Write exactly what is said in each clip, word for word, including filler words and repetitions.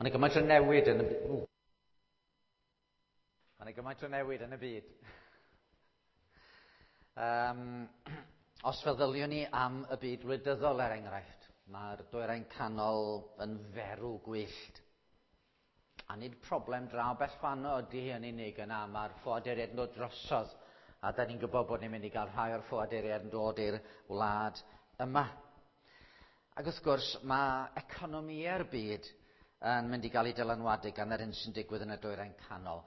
Mae yna gymaint o newid yn y byd. Mae yna gymaint o newid yn y byd. Um, os feddyliwn ni am y byd wleidyddol er enghraifft, mae'r dwyrain canol yn ferw gwyllt. A nid problem draw bell fanno ydy hi yn unig yna, mae'r ffoaduriaid yn dod drosodd. A da ni'n gwybod bod ni'n mynd i gael rhai o'r ffoaduriaid yn dod i'r wlad yma. Ac wrth gwrs, mae economiau'r byd yn mynd i gael ei dylanwadu gan yr hyn sy'n digwydd yn y dwyrain canol.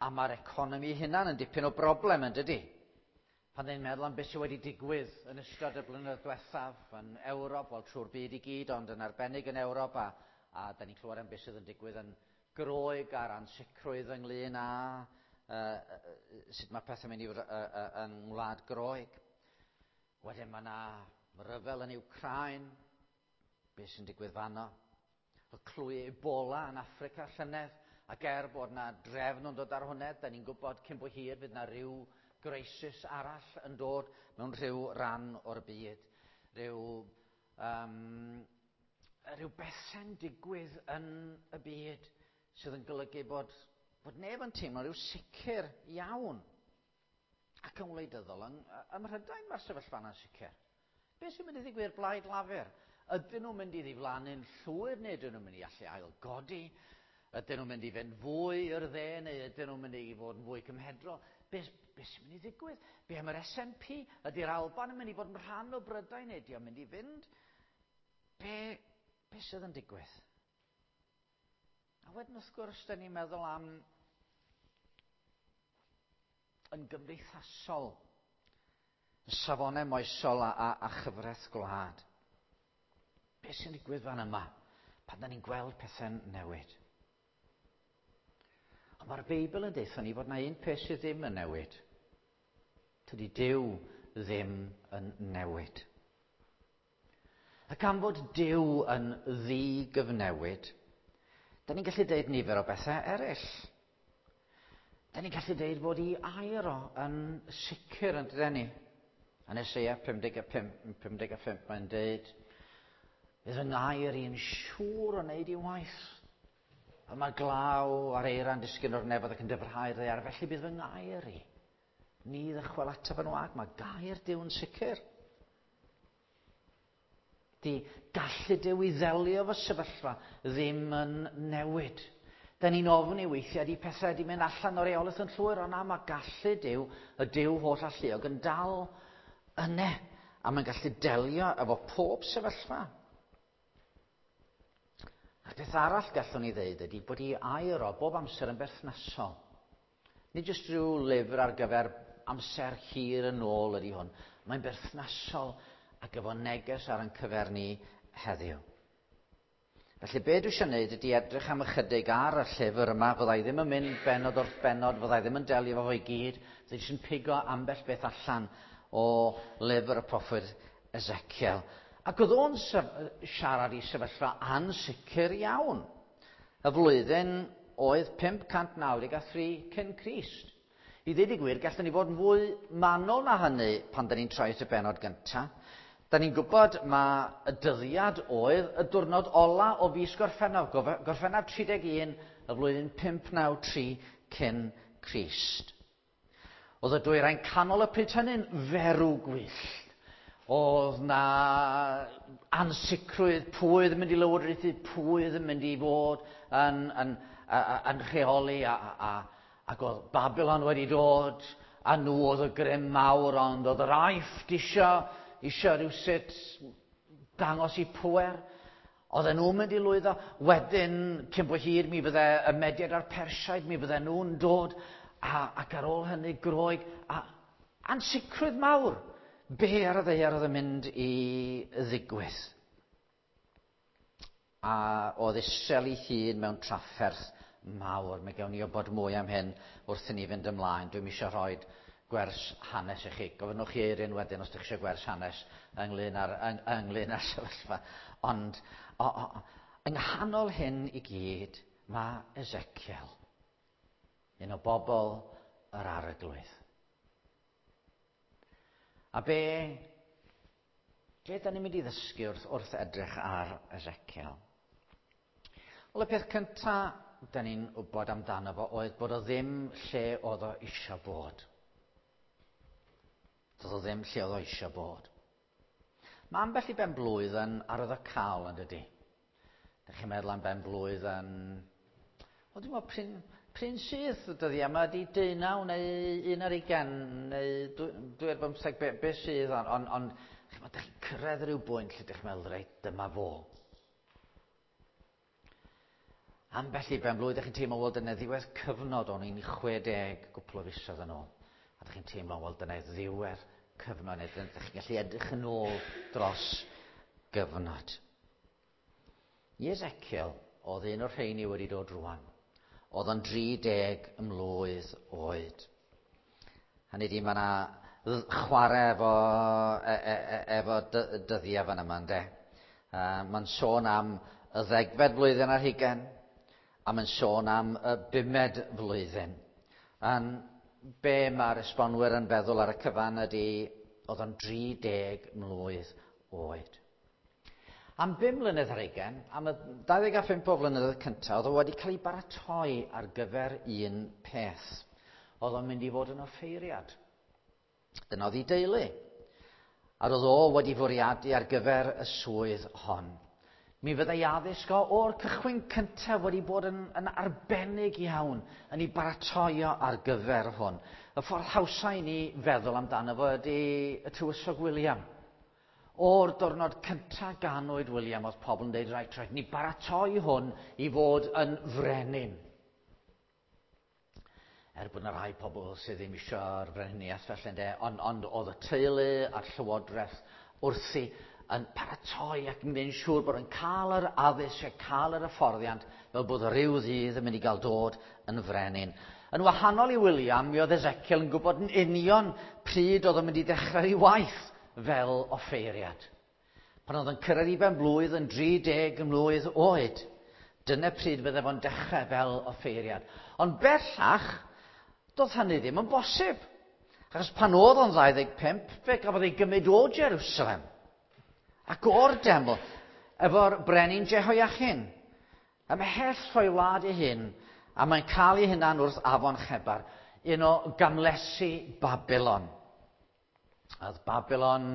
A mae'r economi hunan yn dipyn o broblem yn dydy. Pan ni'n meddwl am beth sydd wedi digwydd yn ystod y blynyddoedd diwethaf yn Ewrop, wel trwy'r byd i gyd, ond yn arbennig yn Ewrop, a, a da ni'n clywed am beth sydd yn digwydd yn Groeg a'r ansicrwydd ynglyn â uh, sut mae pethau'n mynd i fod uh, uh, yng Ngwlad Groeg. Wedyn mae yna ryfel yn Wcráin, beth sy'n digwydd fanno. Y clwy Ebola yn Affrica llynedd, ac er bod yna drefn yn dod ar hwnna, da ni'n gwybod cyn bo hir fydd yna rhyw greisis arall yn dod mewn rhyw ran o'r byd. Rhyw, um, rhyw bethau'n digwydd yn y byd sydd yn golygu bod, bod neb yn teimlo rhyw sicr iawn. Ac yn wleidyddol, yng, ym Mhrydain mae'r sefyllfa yna'n sicr. Beth sy'n mynd i ddigwydd Blaid Lafur? Ydyn nhw'n mynd i ddiflannu'n llwyr neu ydyn nhw'n mynd i allu ailgodi? Ydyn nhw'n mynd i fynd fwy i'r dde neu ydyn nhw'n mynd i fod yn fwy cymhedrol? Be, be sy'n mynd i ddigwydd? Be am yr S N P? Ydy'r Alban yn mynd i fod yn rhan o Brydain neu ydy o'n mynd i fynd? Be, be sydd yn digwydd? A wedyn wrth gwrs, da ni'n meddwl am yn gymdeithasol, y safonau moesol a, a, a chyfraith gwlad. Be sy'n digwydd fan yma pan da ni'n gweld pethau'n newid? Ond mae'r Beibl yn deutha ni fod na un peth sydd ddim yn newid. Tydi Duw ddim yn newid. A gan fod Duw yn ddigyfnewid, da ni'n gallu deud nifer o bethau eraill. Da ni'n gallu deud bod ei air o yn sicr yn dydyn ni. Yn Eseia pum deg a pump mae'n deud, bydd fy ngair i'n siŵr o wneud i waith. A mae glaw a'r eira'n disgyn o'r nefoedd ac yn dyfrhau'r ddaear, felly bydd fy ngair i. Ni ddychwel ataf yn wag, mae gair Duw yn sicr. Di gallu Duw i ddelio efo sefyllfa ddim yn newid. Da ni'n ofni weithiau di pethau di mynd allan o'r reolaeth yn llwyr, ond na, mae gallu Duw, y Duw holl alluog, yn dal yne. A mae'n gallu delio efo pob sefyllfa. A'r beth arall gallwn ni ddeud ydy bod ei air o bob amser yn berthnasol. Nid jyst rhyw lyfr ar gyfer amser hir yn ôl ydy hwn. Mae'n berthnasol ac efo neges ar ein cyfer ni heddiw. Felly be dwi eisiau gwneud ydy edrych am ychydig ar y llyfr yma. Fyddai ddim yn mynd bennod wrth bennod, fyddai ddim yn delio efo fo i gyd. Fyddai jyst yn pigo ambell beth allan o lyfr y proffwyd Ezekiel. Ac oedd o'n siarad i sefyllfa ansicr iawn. Y flwyddyn oedd pump cant naw deg a thri cyn Crist. I ddweud y gwir, gallwn ni fod yn fwy manwl na hynny pan da ni'n troi at y bennod gyntaf. Da ni'n gwybod ma y dyddiad oedd y diwrnod ola o fis Gorffennaf, Gorffennaf tri deg un, y flwyddyn pump naw tri cyn Crist. Oedd y dwyrain canol y pryd hynny'n ferw gwyllt. Oedd na ansicrwydd pwy oedd yn mynd i lywodraethu, pwy oedd yn mynd i fod yn, yn, yn, yn rheoli, a, a, ac oedd Babylon wedi dod, a nhw oedd y grym mawr, ond oedd yr Aifft isio, isio rhywsut dangos i pŵer. Oedden nhw'n mynd i lwyddo. Wedyn, cyn bo hir, mi fydde y Mediaid a'r Persiaid, mi fydde nhw'n dod, a, ac ar ôl hynny Groeg, a ansicrwydd mawr. Be ar y ddaear oedd yn mynd i ddigwydd? A oedd Israel ei hun mewn trafferth mawr. Mae gawn ni wybod mwy am hyn wrth i ni fynd ymlaen. Dwi'm eisiau rhoi gwers hanes i chi. Gofynnwch chi Eirin wedyn os ydych chi eisiau gwers hanes ynglyn â'r, yng, ynglyn â'r sefyllfa. Ond o, o, yng nghanol hyn i gyd mae Ezekiel, un o bobl yr Arglwydd. A be, be da ni'n mynd i ddysgu wrth, wrth edrych ar Ezekiel? Wel, y peth cyntaf da ni'n wybod amdano fo oedd bod o ddim lle oedd o eisiau bod. Doedd o ddim lle oedd o eisiau bod. Mae ambell i ben blwydd yn arwyddocaol yn dydy. Dych chi'n meddwl am ben blwydd yn... O, dwi'n meddwl prin, prin sydd y dyddiau yma ydy deunaw neu un ar ugain neu dwy ar bymtheg, be, be sydd, ond on, on, dych chi'n cyrraedd rhyw bwynt lle dych chi'n meddwl, reit, dyma fo. Ambell i ben blwydd, dych chi'n teimlo, wel, dyna ddiwedd cyfnod o'n i'n chwe deg gwpl o fisoedd yn ôl. A dych chi'n teimlo, wel, dyna ddiwedd cyfnod, neu dych chi'n gallu edrych yn ôl dros gyfnod. I Ezekiel, oedd un o'r rheini wedi dod rwan. Oedd o'n dri deg mlwydd oed. Hynny ydi, mae yna chwarae efo, e, e, e, efo dyddiau fan yma, ynde. Uh, mae'n sôn am y ddegfed flwyddyn ar hugain, a mae'n sôn am y bumed flwyddyn. A'n be mae'r esbonwyr yn feddwl ar y cyfan ydy, oedd o'n dri deg mlwydd oed. Am bum mlynedd ar hugain, am y dau ddeg a phump o flynyddoedd cyntaf, oedd o wedi cael ei baratoi ar gyfer un peth. Oedd o'n mynd i fod yn offeiriad. Dyna oedd ei deulu. A roedd o wedi fwriadu ar gyfer y swydd hon. Mi fyddai addysg o o'r cychwyn cyntaf wedi bod yn, yn arbennig iawn yn ei baratoi o ar gyfer hwn. Y ffordd hawsa i ni feddwl amdano fo ydy y tywysog William. O'r diwrnod cyntaf ganwyd William, oedd pobl yn dweud, rhaid, rhaid, ni baratoi hwn i fod yn frenin. Er bod yna rai pobl sydd ddim eisiau'r frenhiniaeth felly, ynde, ond, ond oedd y teulu a'r llywodraeth wrthi yn paratoi ac yn gwneud yn siŵr bod yn cael yr addysg a cael yr hyfforddiant fel bod rhyw ddydd yn mynd i gael dod yn frenin. Yn wahanol i William, mi oedd Ezekiel yn gwybod yn union pryd oedd yn mynd i ddechrau ei waith fel offeiriad. Pan oedd yn cyrraedd i ben blwydd yn dri deg mlwydd oed, dyna pryd fydde fo'n dechrau fel offeiriad. Ond bellach, doedd hynny ddim yn bosib. Achos pan oedd o'n ddau ddeg pump, fe gafodd ei gymryd o Jerusalem ac o'r deml, efo'r brenin Jehoiachin. Ymhell o'i wlad ei hun, a mae'n cael ei hunan wrth afon Chebar, un o gamlesi Babylon. Oedd Babylon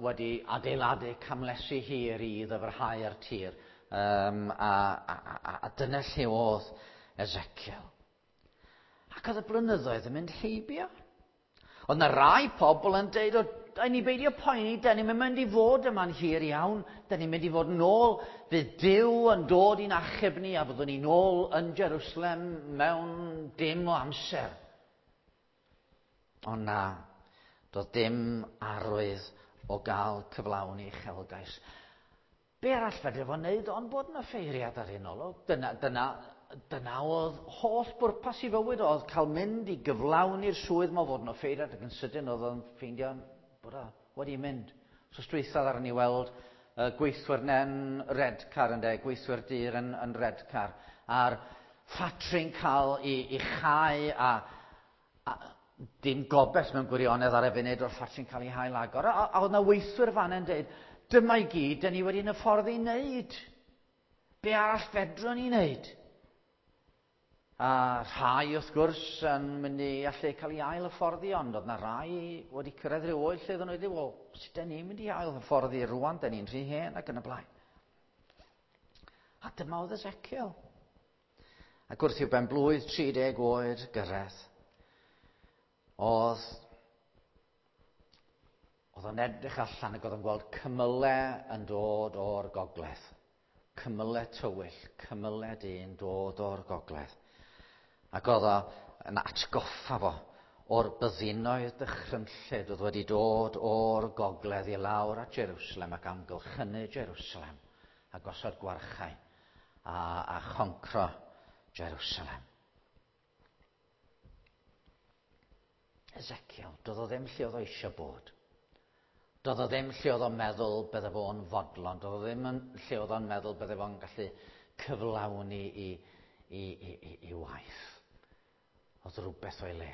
wedi adeiladu camlesi hir i ddyfrhau'r tir, um, a, a, a, a dyna lle oedd Ezekiel. Ac oedd y blynyddoedd yn mynd heibio. Oedd yna rai pobl yn deud, o, ni beidio poeni, da ni'n mynd i fod yma'n hir iawn, da ni'n mynd i fod yn ôl, fydd Duw yn dod i'n achub ni a fyddwn ni'n ôl yn Jerusalem mewn dim o amser. Ond na, doedd dim arwydd o gael cyflawni uchelgais. Be arall fedre fo wneud ond bod yn offeiriad ar un olwg? Dyna, dyna, dyna oedd holl bwrpas i fywyd oedd cael mynd i gyflawni'r swydd ma fod yn offeiriad, ac yn sydyn oedd o'n ffeindio bod o wedi mynd. So dwytha ar ni weld uh, gweithwyr yn Redcar, ynde, gweithwyr dir yn, yn Redcar, a'r ffatri'n cael ei, ei chau a, a dim gobaith mewn gwirionedd ar y funud o'r ffatri'n cael ei hail agor. A, a oedd yna weithwyr fan yn dweud, dyma i gyd, dyn ni wedi'n hyfforddi i wneud. Be arall fedrwn ni wneud? A rhai, wrth gwrs, yn mynd i allu cael ei ail hyfforddi, ond oedd yna rai wedi cyrraedd rhyw oed lle oedden nhw wedi, wel, sut dyn ni'n mynd i ail hyfforddi rwan, dyn ni'n rhy hen ac yn y blaen. A dyma oedd Ezekiel. Ac wrth i'w ben blwydd tri deg oed gyrraedd, oedd oedd o'n edrych allan ac oedd o'n gweld cymylau yn dod o'r gogledd. Cymylau tywyll, cymylau dyn dod o'r gogledd. Ac oedd o yn atgoffa fo o'r byddinoedd dychrynllyd oedd wedi dod o'r gogledd i lawr at Jerusalem ac amgylchynu Jerusalem a gosod gwarchau a, a choncro Jerusalem. Ezekiel, doedd o ddim lle oedd o eisiau bod. Doedd o ddim lle oedd o'n meddwl bydde fo'n fodlon. Doedd o ddim yn lle oedd o'n meddwl bydde fo'n gallu cyflawni i, i, i, i, i waith. Oedd rhywbeth o'i le.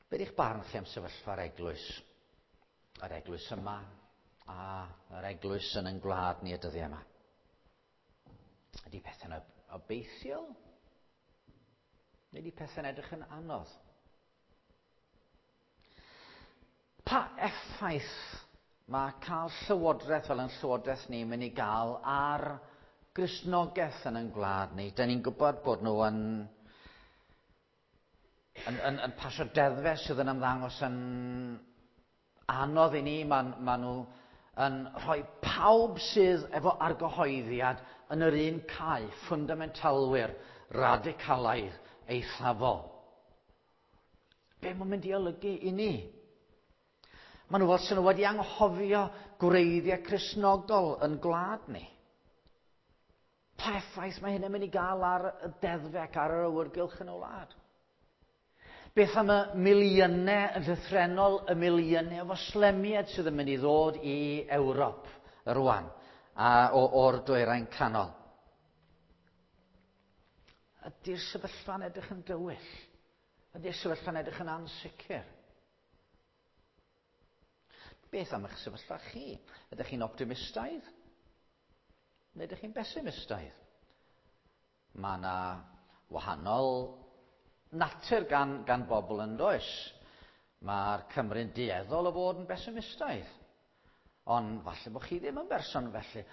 Be di'ch barn chi am sefyllfa'r eglwys? Yr eglwys yma, A yr eglwys yn ein gwlad ni y dyddiau yma? Ydy pethau'n obeithiol? Neu ydy pethau'n edrych yn anodd? Pa effaith mae cael llywodraeth fel yn llywodraeth ni mynd i gael ar Gristnogaeth yn ein gwlad ni? Da ni'n gwybod bod nhw yn, yn, yn, yn pasio deddfau sydd yn ymddangos yn anodd i ni. Mae, ma nhw yn rhoi pawb sydd efo argyhoeddiad yn yr un cae, ffwndamentalwyr, radicalaidd, eithafol. Be mae'n mynd i olygu i ni? Maen nhw fel sy'n nhw wedi anghofio gwreiddiau Cristnogol yn gwlad ni. Pa effaith mae hyn yn mynd i gael ar y deddfau ac ar yr awyrgylch yn y wlad? Beth am y miliynau, yn llythrennol, y miliynau o Foslemiaid sydd yn mynd i ddod i Ewrop rwan, a, o, o'r dwyrain canol? Ydy'r sefyllfa'n edrych yn dywyll? Ydy'r sefyllfa'n edrych yn ansicr? Beth am eich sefyllfa chi? Ydych chi'n optimistaidd? Neu ydych chi'n besimistaidd? Mae yna wahanol natur gan, gan bobl yn does. Mae'r Cymru'n dueddol o fod yn besimistaidd. Ond falle bod chi ddim yn berson felly.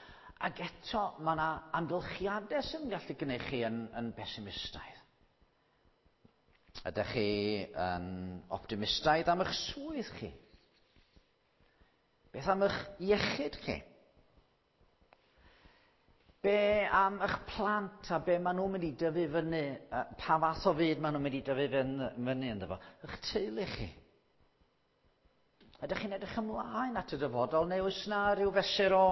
Ac eto mae yna amgylchiadau sy'n gallu gwneud chi yn, yn besimistaidd. Ydych chi yn optimistaidd am eich swydd chi? Beth am eich iechyd chi? Be am eich plant a be maen nhw'n mynd i dyfu fyny, pa fath o fyd maen nhw'n mynd i dyfu fyny ynddo fo? Eich teulu chi? Ydych chi'n edrych ymlaen at y dyfodol, neu oes na rhyw fesur o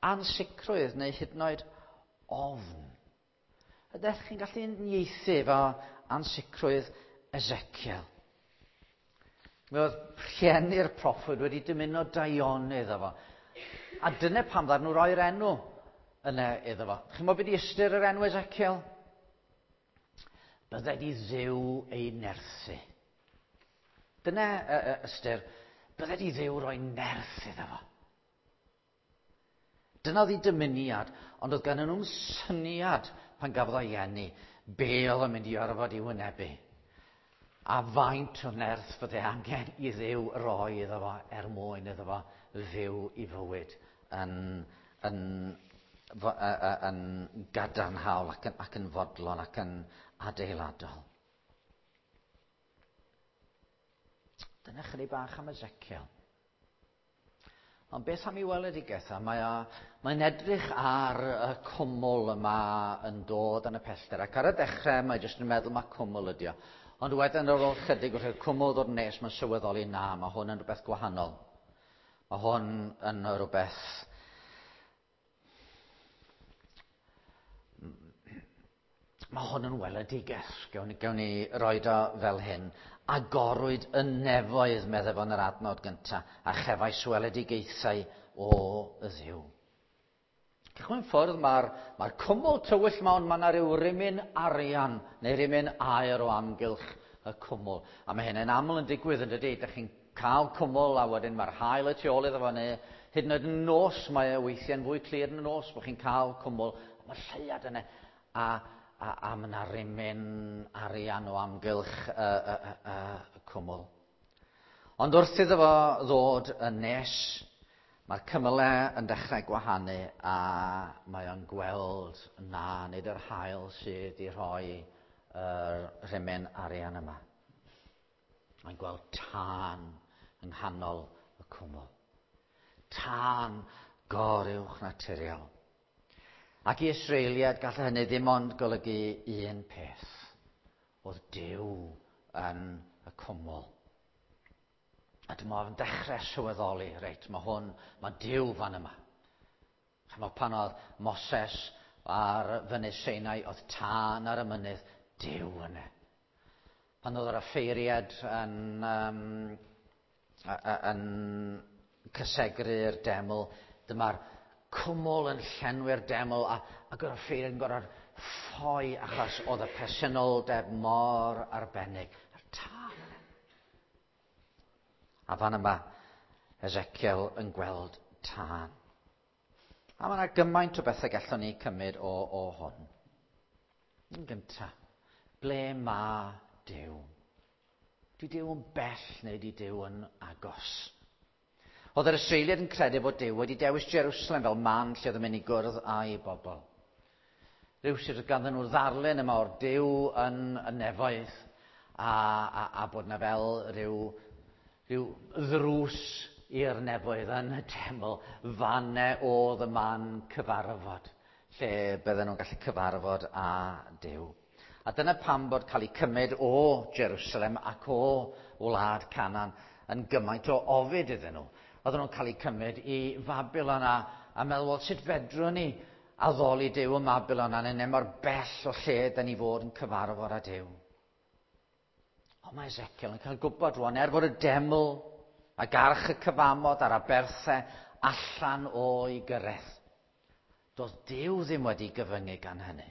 ansicrwydd neu hyd yn oed ofn? Ydych chi'n gallu uniaethu efo ansicrwydd Ezekiel? Mi oedd rhieni'r proffwyd wedi dymuno daioni iddo fo. A dyna pam ddaru nhw roi'r enw yna iddo fo. Chi'n meddwl beth ydi ystyr yr enw Ezekiel? Bydded i Dduw ei nerthu. Dyna ystyr, bydded i Dduw roi nerth iddo fo. Dyna oedd ei dymuniad, ond oedd gan nhw'n syniad pan gafodd o'i eni, be oedd yn mynd i orfod i wynebu. A faint o nerth fydde angen i Dduw roi iddo fo er mwyn iddo fo fyw i fywyd yn, yn, yn gadarnhaol ac yn, ac yn fodlon ac yn adeiladol. Dyna chydig bach am Ezekiel. Ond beth am ei weledigaeth? Mae mae'n edrych ar y cwmwl yma yn dod yn y pellter. Ac ar y dechrau mae jyst yn meddwl mae cwmwl ydi o. Ond wedyn ar ôl chydig wrth i'r cwmwl ddod yn nes, mae'n sylweddoli na, mae hwn yn rhywbeth gwahanol. Mae hwn yn rhywbeth... Mae hwn yn weledigaeth. Gewn ni, gewn ni roed o fel hyn. Agorwyd y nefoedd, meddai fo yn yr adnod gyntaf, a chefais weledigaethau o Dduw. Cychwyn ffwrdd, mae'r mae cwmwl tywyll ma, ond mae yna rhyw rimyn arian neu rimyn aer o amgylch y cwmwl. A mae hynny'n aml yn digwydd yn dydy. Dych chi'n cael cwmwl a wedyn mae'r haul y tu ôl iddo fo, neu hyd yn oed yn nos, mae e weithiau'n fwy clir yn y nos bod chi'n cael cwmwl. Mae'r lleuad yna. A A, a mae yna rimyn arian o amgylch y, y, y, y, y cwmwl. Ond wrth iddo fo ddod yn nes, mae'r cymylau yn dechrau gwahanu a mae o'n gweld na, nid yr haul sydd i rhoi yr rimyn arian yma. Mae'n gweld tân yng nghanol y cwmwl. Tân goruwch naturiol. Ac i Israeliad gall hynny ddim ond golygu un peth. Oedd Duw yn y cwmwl. A dyma o'n dechrau sylweddoli, reit, mae hwn, mae Duw fan yma. Chymod, pan oedd Moses ar fynydd Sinai, oedd tân ar y mynydd, Duw yna. Pan oedd yr offeiriad yn, um, yn cysegru'r deml, dyma'r cwmwl yn llenwi'r deml a, ac yr offeiriad yn gorfod ffoi achos oedd y presenoldeb mor arbennig. A'r tân yna. A fan yma, Ezekiel yn gweld tân. A mae yna gymaint o bethau gallwn ni cymryd o, o hwn. Yn gyntaf, ble mae Duw? Di Duw yn bell neu di Duw yn agos? Oedd yr Israeliaid yn credu bod Duw wedi dewis Jerusalem fel man lle oedd yn mynd i gwrdd â'i bobl. Rhywsut oedd ganddyn nhw ddarlun yma o'r Duw yn y nefoedd a, a, a bod yna fel rhyw, rhyw ddrws i'r nefoedd yn y deml, fanne oedd y man cyfarfod, lle bydden nhw'n gallu cyfarfod â Duw. A dyna pam bod cael eu cymryd o Jerusalem ac o wlad Canaan yn gymaint o ofid iddyn nhw. Oedden nhw'n cael eu cymryd i Fabilon a, a meddwl, wel, sut fedrwn ni addoli Duw ym Mabilon a neu mor bell o lle da ni fod yn cyfarfod â Duw. Ond mae Ezekiel yn cael gwybod rwan, er fod y deml ac arch y cyfamod a'r aberthau allan o'i gyrraedd, doedd Duw ddim wedi gyfyngu gan hynny.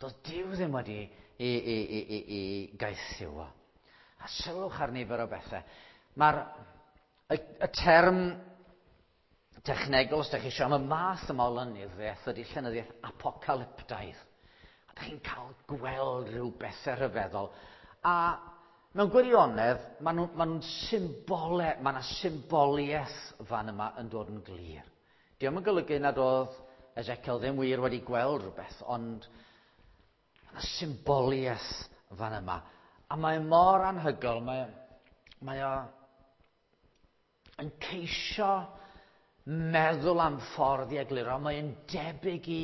Doedd Duw ddim wedi i, i, i, i, i gaethiwo. A sylwch ar nifer o bethau. Mae'r y, y term technegol, os ydych chi eisiau, am y math yma o lenyddiaeth ydy llenyddiaeth apocalyptaidd. A ydych chi'n cael gweld rhyw bethau rhyfeddol. A mewn gwirionedd, maen nhw'n ma nhw symbole, mae yna symboliaeth fan yma yn dod yn glir. Dio'm yn golygu nad oedd Ezekiel ddim wir wedi gweld rhywbeth, ond mae yna symboliaeth fan yma. A mae mor anhygoel, mae, mae o yn ceisio meddwl am ffordd i egluro. Mae'n debyg i,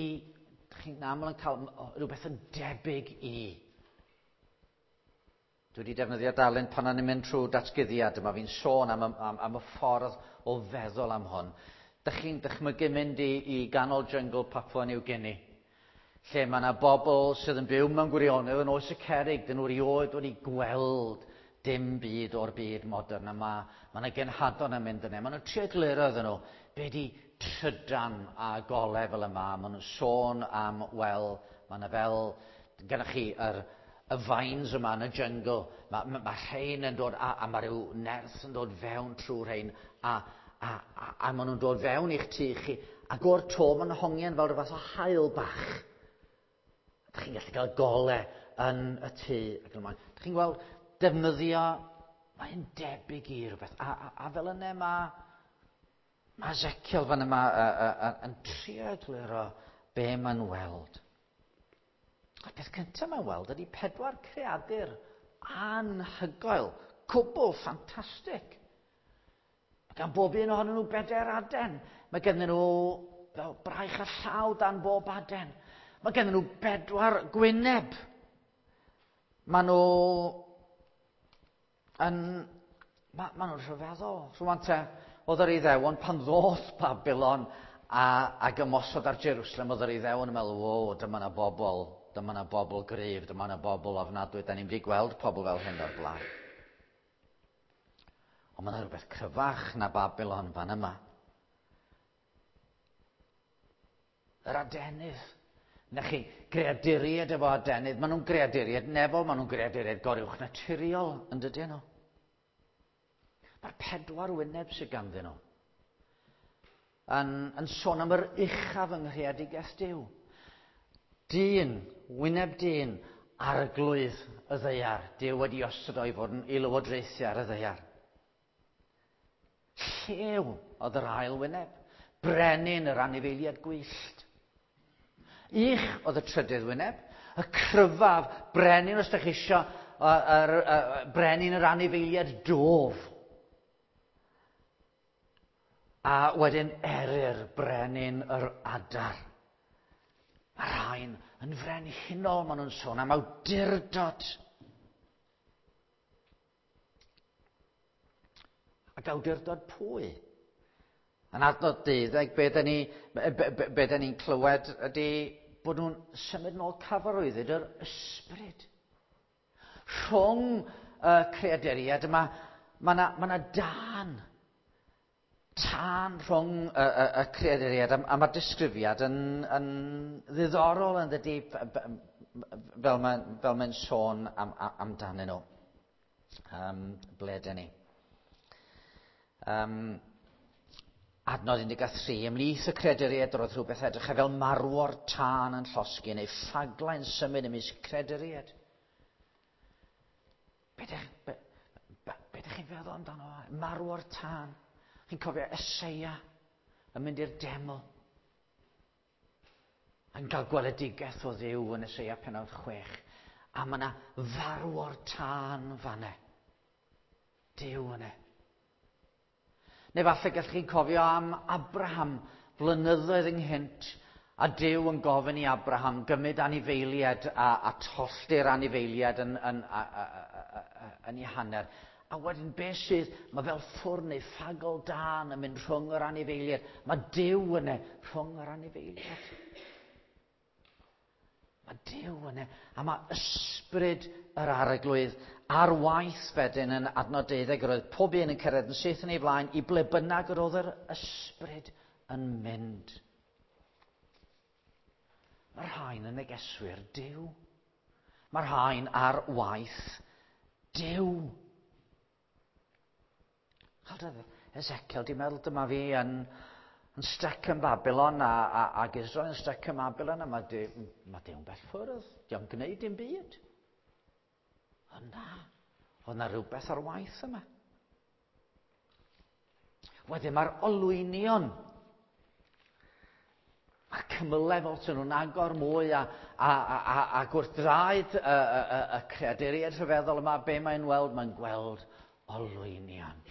chi'n aml yn cael rhywbeth yn debyg i. Dwi wedi defnyddio darlun pan o'n i'n mynd trwy datguddiad yma, fi'n sôn am, am, am y ffordd o feddwl am hwn. Dych chi'n dychmygu mynd i, i ganol jyngl Papua New Guinea, lle mae yna bobl sydd yn byw mewn gwirionedd yn oes y cerrig, dyn nhw erioed wedi gweld dim byd o'r byd modern, a mae, mae yna genhadon yn mynd yna. Maen nhw'n trio egluro iddyn nhw be di trydan a golau fel yma. Maen nhw'n sôn am, wel, mae yna fel, gennych chi yr, y vines yma yn y jungle, mae ma, ma rhain yn dod, a, a mae rhyw nerth yn dod fewn trwy rhain, a, a, a, a maen nhw'n dod fewn i'ch tŷ chi, ac o'r to maen nhw'n hongian fel rhyw fath o haul bach. Dych chi'n gallu cael golau yn y tŷ. Ac yn ymlaen. Dych chi'n gweld defnyddio, mae'n debyg i rhywbeth. A, a, a fel yna mae, mae Ezekiel fan yma a, a, a, yn trio egluro be mae'n weld. A'r peth cyntaf mae'n weld ydy pedwar creadur anhygoel, cwbl ffantastig. Mae gan bob un ohonyn nhw bedair aden. Mae gennym nhw fel braich a llaw dan bob aden. Mae gennym nhw bedwar gwyneb. Mae nhw yn... Mae, ma nhw'n rhyfeddol. Rwan te, oedd yr Iddewon pan ddoth Babylon a, ac ymosod ar Jerusalem, oedd yr Iddewon yn meddwl, o, dyma na bobl, dyma na bobl gryf, dyma na bobl ofnadwy, da ni'n mynd i gweld pobl fel hyn o'r blaen. Ond mae yna rhywbeth cryfach na Babylon fan yma. Yr adenydd. Na chi, greaduriaid efo adenydd, maen nhw'n greaduriaid nefol, maen nhw'n greaduriaid goruwch naturiol, yn dydyn nhw. Mae'r pedwar wyneb sydd ganddyn nhw yn, yn sôn am yr uchaf yng nghreadigaeth Duw. Dyn, wyneb dyn, arglwydd y ddaear. Duw wedi osod o i fod yn i lywodraethu ar y ddaear. Llew oedd yr ail wyneb. Brenin yr anifeiliaid gwyllt. Ych oedd y trydydd wyneb. Y cryfaf, brenin os ydych chi isio, yr, yr, brenin yr anifeiliaid dof. A wedyn eryr, brenin yr adar. Mae rhain yn frenhinol, maen nhw'n sôn am awdurdod. Ac awdurdod pwy? Yn adnod deuddeg, be da ni, be, be, be da ni'n clywed ydy bod nhw'n symud nôl cyfarwyddyd yr ysbryd. Rhwng y creaduriaid yma, mae yna ma dân. Tân rhwng y, y, y creaduriaid, a, a mae'r disgrifiad yn, yn ddiddorol yn dydy, fel mae'n fel mae'n sôn am, am, amdanyn nhw. Um, ble dyn ni? Um, Adnod un deg tri, ymhlith y creaduriaid roedd rhywbeth edrych fel marwor tân yn llosgi neu ffaglau'n symud ymysg creaduriaid. Be ydych be, be, be chi'n feddwl amdano? Marwor tân. Chi'n cofio Eseia yn mynd i'r deml. Yn cael gweledigaeth o Dduw yn Eseia pennod chwech. A mae yna farwor tân fanne. Duw yna. Neu falle gallwch chi'n cofio am Abraham flynyddoedd ynghynt, a Duw yn gofyn i Abraham gymryd anifeiliaid a, a tollti'r anifeiliaid yn, yn, a, a, a, a, yn ei hanner. A wedyn beth sydd, mae fel ffwrn neu ffagl dân yn mynd rhwng yr anifeiliaid. Mae Duw yna rhwng yr anifeiliaid. Mae Duw yna, a mae ysbryd yr Arglwydd ar waith wedyn yn adnod deuddeg, yr oedd pob un yn cyrraedd yn syth yn ei flaen i ble bynnag yr oedd yr ysbryd yn mynd. Mae'r rhain yn negeswyr Duw. Mae'r rhain ar waith Duw. Ezekiel, di meddwl dyma fi yn, yn stuck yn Babylon a, a, ac Israel yn stuck yn Babylon, a mae Duw, mae Duw'n bell ffwrdd. Dio'n gwneud dim byd. Ond na, oedd na rhywbeth ar waith yma. Wedyn mae'r olwynion, mae'r cymylau fel sy'n nhw'n agor mwy a, a, a, a, a wrth draed y, y, y, y creaduriaid rhyfeddol yma, be mae'n weld? Mae'n gweld olwynion.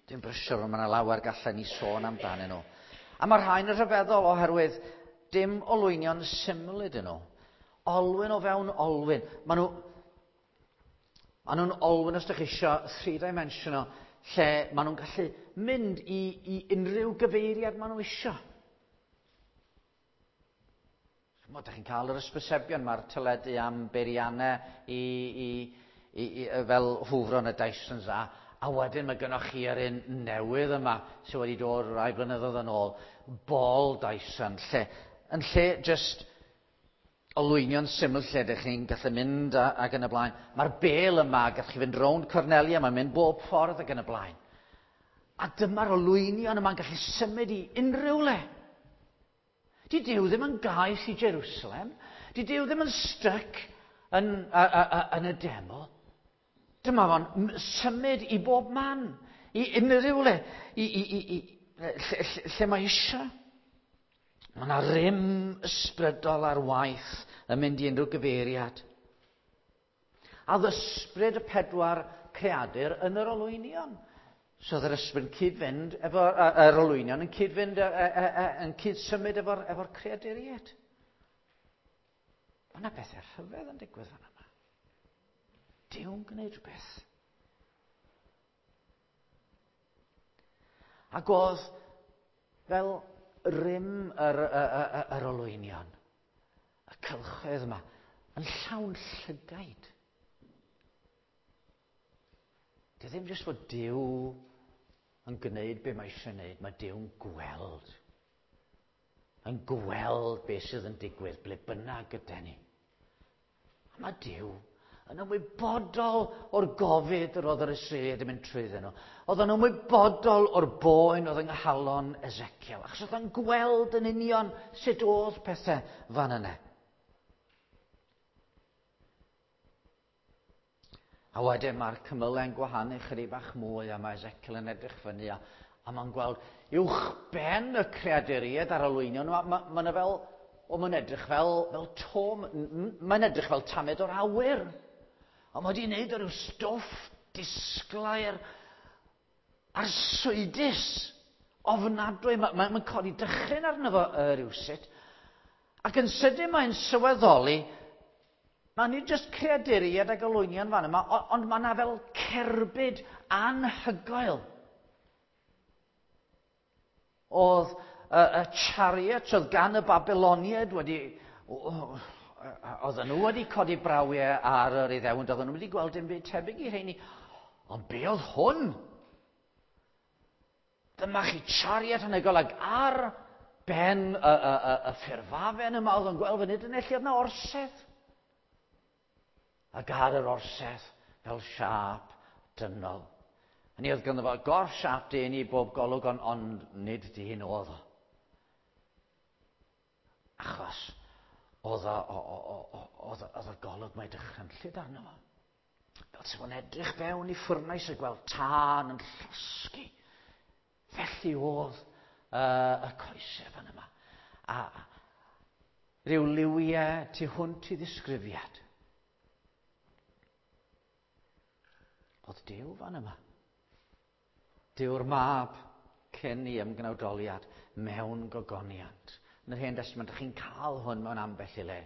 Dwi'n brysur, mae yna lawer gallen ni sôn amdanyn nhw. A mae'r rhain yn rhyfeddol oherwydd dim olwynion syml ydyn nhw. Olwyn o fewn olwyn. Maen nhw, maen nhw'n olwyn, os ydych chi eisiau, three-dimensional, lle maen nhw'n gallu mynd i, i unrhyw gyfeiriad maen nhw eisiau. Chimod, ydych chi'n cael yr ysbysebion, mae'r teledu am beiriannau i, i, i, i, fel hwfro yn y Dysons a, a wedyn mae gennych chi yr un newydd yma sydd wedi dod rai blynyddoedd yn ôl, Ball Dyson, lle, yn lle just olwynion syml lle ydych chi'n gallu mynd a, ac yn y blaen. Mae'r bel yma, gallwch chi fynd rownd cornelia, mae'n mynd bob ffordd ac yn y blaen. A dyma'r olwynion yma'n gallu symud i unrhyw le. Di Duw ddim yn gaeth i Jerusalem. Di Duw ddim yn stuck yn, a, a, a, yn y deml. Dyma fo'n symud i bob man, i unrhyw le, i, i, i, i, lle, lle, lle mae eisiau. Mae yna rym ysbrydol ar waith yn mynd i unrhyw gyfeiriad. A ysbryd y pedwar creadur yn yr olwynion. So oedd yr ysbryd yn cyd-fynd efo, yr olwynion yn cyd-fynd, yn cyd-symud efo'r efo creaduriaid. Mae yna bethau rhyfedd yn digwydd fan yma. Duw'n gwneud rhywbeth. Ac oedd fel rym yr, yr, yr, yr olwynion, y cylchoedd yma, yn llawn llygaid. Di ddim jyst fod Duw yn gwneud be mae eisiau gwneud, mae Duw'n gweld. Yn gweld beth sydd yn digwydd, ble bynnag gyda ni. A mae Duw yn ymwybodol o'r gofid yr oedd yr Israeliaid yn mynd trwyddyn nhw. Oedd yn ymwybodol o'r boen oedd yng nghalon Ezekiel, achos oedd yn gweld yn union sut oedd pethau fan yna. A wedyn mae'r cymylau'n gwahanu chydig bach mwy, a mae Ezekiel yn edrych fyny, a, a mae'n gweld uwch ben y creaduriaid ar olwynion, mae ma, ma fel, o, mae'n edrych fel, fel to, mae'n edrych fel tamed o'r awyr. Ond mae wedi wneud o ryw stwff disglair arswydus, ofnadwy. Mae'n ma, ma codi dychryn arno fo uh, rywsut. Ac yn sydyn mae'n sylweddoli, mae nid jyst creaduriaid ac olwynion fan yma, ond mae yna fel cerbyd anhygoel. Oedd y, y chariot oedd gan y Babyloniaid wedi... Oedden nhw wedi codi brawiau ar yr Iddewon, oedden nhw wedi gweld dim byd tebyg i rheini. Ond be oedd hwn? Dyma chi chariot anhygoel, ac ar ben y, y, y, y ffurfafen yma oedd yn gweld fan hyn, lle oedd yna orsedd. Ac ar yr orsedd, fel siâp dynol. Hynny oedd ganddo fo gorff siâp dyn i bob golwg, ond, ond nid dyn oedd o. Achos oedd o, oedd oedd y golwg mae dychrynllyd arno fo. Fel se fo'n edrych fewn i ffwrnais a gweld tân yn llosgi. Felly oedd uh, y coesau fan yma. A rhyw liwiau tu hwnt i ddisgrifiad. Oedd Duw fan yma. Duw'r mab cyn i ymgnawdoliad mewn gogoniant. Yn yr Hen Destament, ydych chi'n cael hwn mewn ambell i le.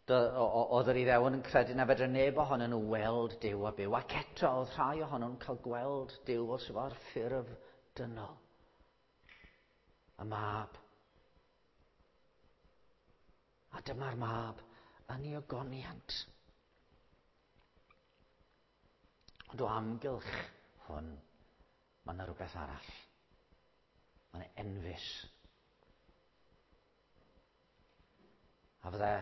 Oedd yr Iddewon yn credu na fedra neb ohonyn nhw weld Duw a byw. Ac eto, oedd rhai ohonyn nhw'n cael gweld Duw fel sydd ar ffurf dynol. Y mab. A dyma'r mab yn ei ogoniant. Ond o amgylch hwn, mae yna rhywbeth arall. Mae yna enfys. A fydde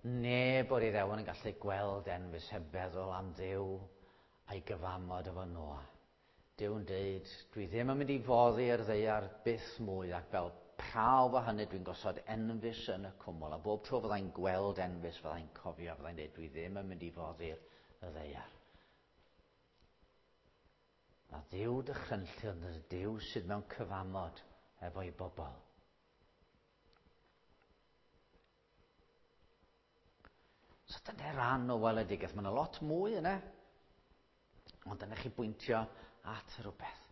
neb o'r Iddewon yn gallu gweld enfys heb feddwl am Dduw a'i gyfamod efo Noa. Duw'n deud, dwi ddim yn mynd i foddi yr ddaear byth mwy, ac fel prawf o hynny dwi'n gosod enfys yn y cwmwl. A bob tro fyddai'n gweld enfys, fyddai'n cofio, fyddai'n deud, dwi ddim yn mynd i foddi'r ddaear. Mae Duw dychrynllyd yn Duw sydd mewn cyfamod efo'i bobl. So dyna ran o weledigaeth. Mae yna lot mwy yna. Ond dyna chi bwyntio at rhywbeth.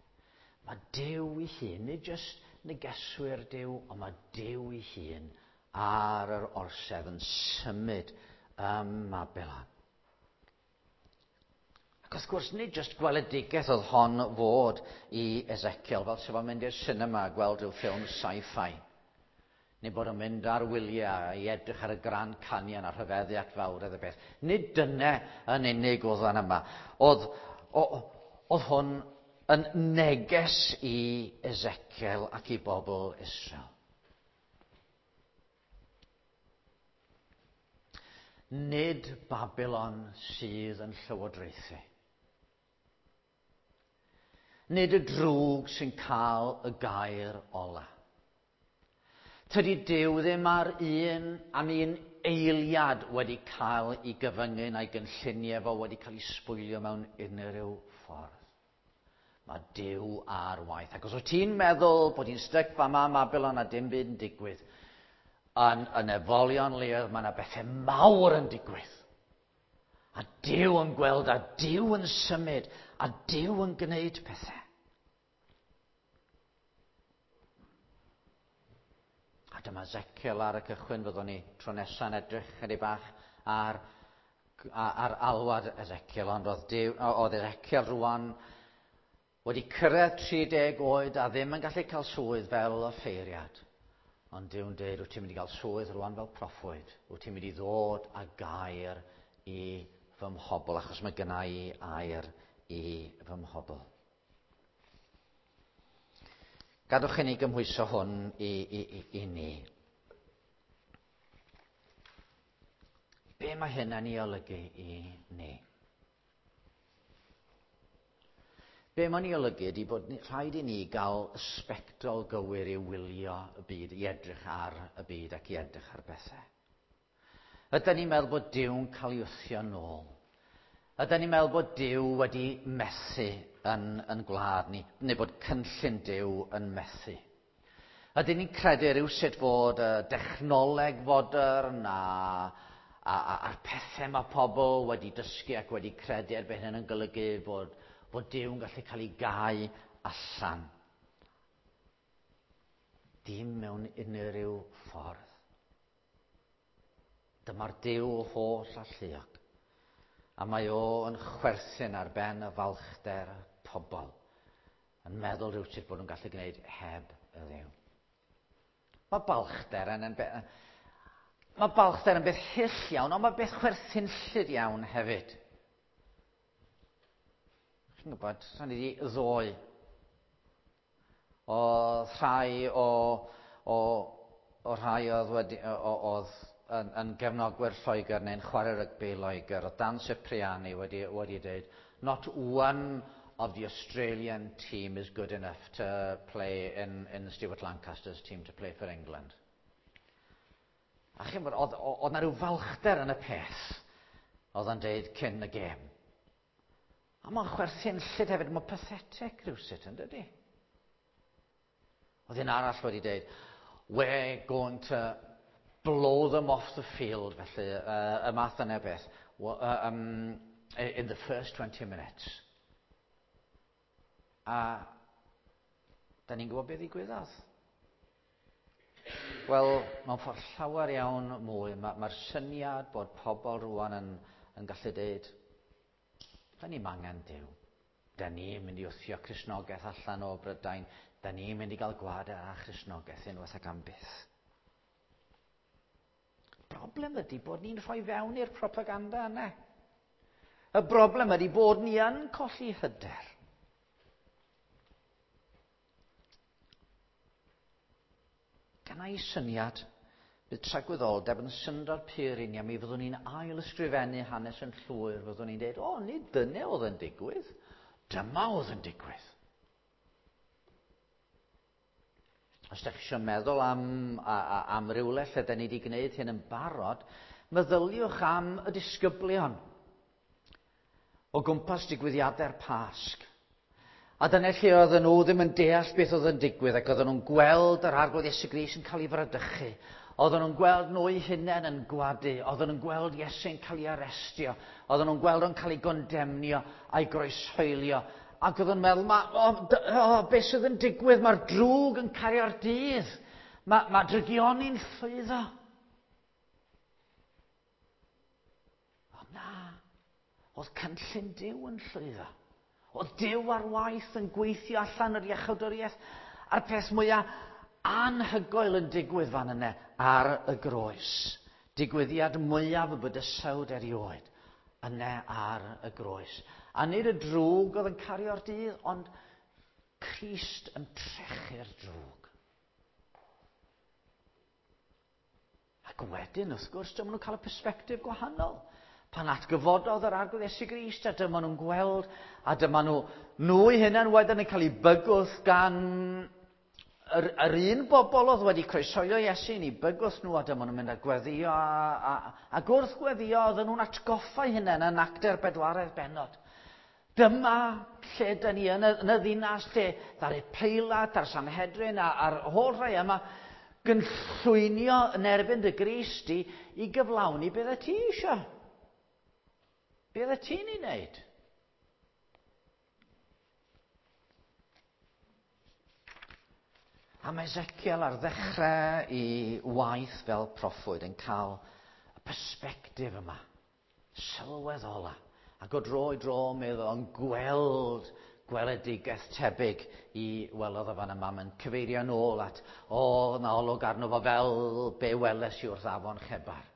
Mae Duw ei hun, nid jyst negeswyr Duw, ond mae Duw ei hun ar yr orsedd yn symud ym Mabilon. Ac wrth gwrs, nid jyst gweledigaeth oedd hon fod i Ezekiel, fel sef o'n mynd i'r cinema a gweld rhyw ffilm sci-fi. Neu bod o'n mynd ar wyliau i edrych ar y Grand Canyon a rhyfeddu at fawredd y beth. Nid dyna yn unig oedd fan yma. Oedd, oedd hwn yn neges i Ezekiel ac i bobl Israel. Nid Babylon sydd yn llywodraethu. Nid y drwg sy'n cael y gair ola. Tydi Duw ddim ar un am un eiliad wedi cael ei gyfyngu na'i gynlluniau fo wedi cael ei sbwylio mewn unrhyw ffordd. Mae Duw ar waith. Ac os wyt ti'n meddwl bod hi'n styc fama ym Mabilon a dim byd yn digwydd, yn y nefolion leoedd mae yna bethau mawr yn digwydd. A Duw yn gweld, a Duw yn symud, a Duw yn gwneud pethau. A dyma Ezekiel ar y cychwyn, fyddwn ni tro nesa'n edrych chydig bach ar, ar alwad Ezekiel, ond oedd, Duw, oedd Ezekiel rwan wedi cyrraedd tri deg oed a ddim yn gallu cael swydd fel offeiriad. Ond Duw'n dweud, wyt ti'n mynd i gael swydd rwan fel proffwyd, wyt ti'n mynd i ddod â gair i fy mhobl, achos mae gynna i air i fy mhobl. Gadwch i ni gymhwyso hwn i, i, i, i ni. Be mae hyn yn ei olygu i ni? Be mae'n ei olygu ydy bod rhaid i ni gael sbectol gywir i wylio y byd, i edrych ar y byd ac i edrych ar bethau. Ydyn ni'n meddwl bod Duw'n cael ei wthio nôl? Ydyn ni'n meddwl bod Duw wedi methu yn, yn gwlad ni, neu bod cynllun Duw yn methu? Ydyn ni'n credu rhywsut fod y dechnoleg fodern a, a, a, a'r pethau mae pobl wedi dysgu ac wedi credu erbyn hyn yn golygu bod, bod Duw'n gallu cael ei gau allan? Dim mewn unrhyw ffordd. Dyma'r Duw holl alluog. A mae o yn chwerthin ar ben y falchder pobl, yn meddwl rhywsut bod nhw'n gallu gwneud heb y Dduw. Mae balchder yn, yn be, mae balchder yn beth hyll iawn, ond mae beth chwerthinllyd iawn hefyd. Chi'n gwybod, sa'n i wedi ddoe, oedd rhai o, o, o rhai oedd wedi, o, oedd yn, yn gefnogwyr Lloegr neu'n chwarae rygbi Loegr, oedd Dan Cipriani wedi, wedi dweud, not one of the Australian team is good enough to play in, in Stuart Lancaster's team to play for England. A chi'n bod, oedd, oedd na rhyw falchder yn y peth oedd o'n deud cyn y gêm. A mae'n chwerthinllyd hefyd, mae'n pathetic rhywsut, yn dydy? Oedd un arall wedi deud, we're going to blow them off the field, felly, uh, y math yna beth, uh, um, in the first twenty minutes. A da ni'n gwybod beth ddigwyddodd. Wel, mewn ffordd llawer iawn mwy, mae'r ma syniad bod pobl rwan yn, yn gallu deud, da ni'n angen Duw. Da ni'n mynd i wthio Cristnogaeth allan o Brydain. Da ni'n mynd i gael gwared ar Christnogaeth unwaith ac am byth. Broblem ydy bod ni'n rhoi fewn i'r propaganda yna. Y broblem ydy bod ni yn colli hyder. Gynna i syniad, bydd tragwyddoldeb yn syndod pur i ni, a mi fyddwn ni'n ail ysgrifennu hanes yn llwyr, fyddwn ni'n dweud, o, nid dyna oedd yn digwydd, dyma oedd yn digwydd. Os ydych chi eisiau meddwl am, a, a, am rywle lle da ni wedi gwneud hyn yn barod, meddyliwch am y disgyblion o gwmpas digwyddiadau'r Pasg. A dyna lle oedden nhw ddim yn deall beth oedd yn digwydd, ac oedden nhw'n gweld yr Arglwydd Iesu Grist yn cael ei fradychu. Oedden nhw'n gweld nhw eu hunain yn gwadu, oedden nhw'n gweld Iesu'n cael ei arestio, oedden nhw'n gweld o'n cael ei gondemnio a'i groeshoelio. Ac oedden nhw'n meddwl, ma, oh, oh, beth sydd yn digwydd? Mae'r drwg yn cario'r dydd. Mae, mae drygioni'n llwyddo. Ond na, oedd cynllun Duw yn llwyddo. Oedd Duw ar waith yn gweithio allan yr iachawdwriaeth, a'r peth mwyaf anhygoel yn digwydd fan yna ar y groes. Digwyddiad mwyaf y bydysawd erioed yna ar y groes. A nid y drwg oedd yn cario'r dydd, ond Crist yn trechu'r drwg. Ac wedyn, wrth gwrs, dyma nhw'n cael y persbectif gwahanol. Pan atgyfododd yr Arglwydd Iesu Grist, a dyma nhw'n gweld, a dyma nhw, nhw eu hunain wedyn yn cael eu bygwth gan yr, yr un bobl oedd wedi croeshoelio Iesu, yn eu bygwth nhw, a dyma nhw'n mynd a gweddio, a, a, a gwrth gweddio, oedden nhw'n atgoffa eu hunain yn Actau'r bedwaredd bennod. Dyma lle dyn ni yn y, yn y ddinas, lle ddaru Peilat a'r Sanhedrin a'r holl rhai yma gynllwynio yn erbyn dy Grist i, i gyflawni beth y ti eisiau. Beth y ti'n ei wneud? A mae Ezekiel ar ddechrau i waith fel proffwyd yn cael y persbectif yma, sylweddola. Ac o dro i dro meddwl yn gweld gweledigaeth tebyg i welodd o fan yma. Mae'n cyfeirio nôl at, o, na olwg arno fo fel be weles i wrth afon Chebar.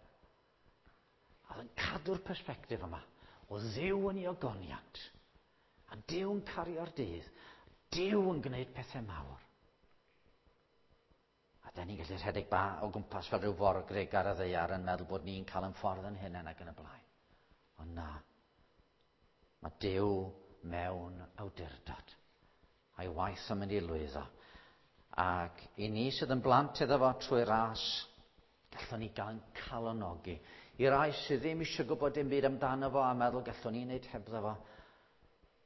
A oedd yn cadw'r persbectif yma. O Dduw yn ei ogoniant, a Duw yn cario'r dydd, Duw yn gwneud pethau mawr. A da ni'n gallu rhedeg ba o gwmpas fel rhyw forgrug ar y ddaear yn meddwl bod ni'n cael yn ffordd yn hunain ac yn y blaen. Ond na, mae Duw mewn awdurdod, a'i waith yn mynd i lwyddo. Ac i ni sydd yn blant iddo fo trwy ras, gallwn ni gael yn calonogi. I rai sydd ddim eisiau gwybod dim byd amdano fo a meddwl gallwn ni wneud hebddo fo,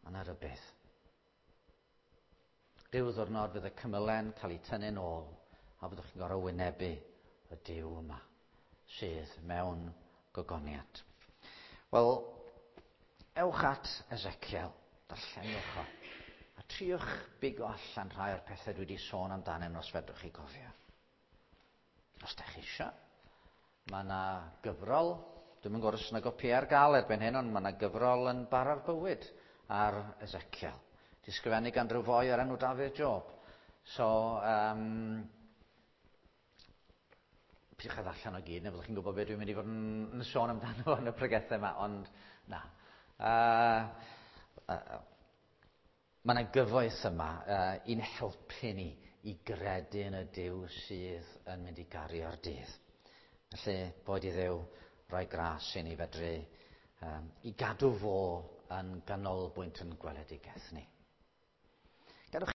mae yna rywbeth. Rhyw ddiwrnod fydd y cymylen cael ei tynnu'n ôl a byddwch chi'n gorfod wynebu y Duw yma sydd mewn gogoniant. Wel, ewch at Ezekiel, darllenwch o, a triwch bigo allan rhai o'r pethau dwi wedi sôn amdanyn nhw os fedrwch chi gofio. Os da chi eisiau, mae yna gyfrol, dwi'm yn gwybod os yna gopi ar gael erbyn hyn, ond mae yna gyfrol yn Bara'r Bywyd ar Ezekiel. Di sgrifennu gan rhyw foi o'r enw Dafydd Job. So, um, pidwch â ddarllen o gyd, neu fyddwch chi'n gwybod beth dwi'n mynd i fod yn, yn sôn amdano fo yn y pregethau yma, ond na. Uh, uh, mae yna gyfoeth yma uh, i'n helpu ni i gredu yn y Duw sydd yn mynd i gario'r dydd. Felly, boed i Dduw roi gras i ni fedru Um, I gadw fo yn ganolbwynt yn gweledigaeth ni.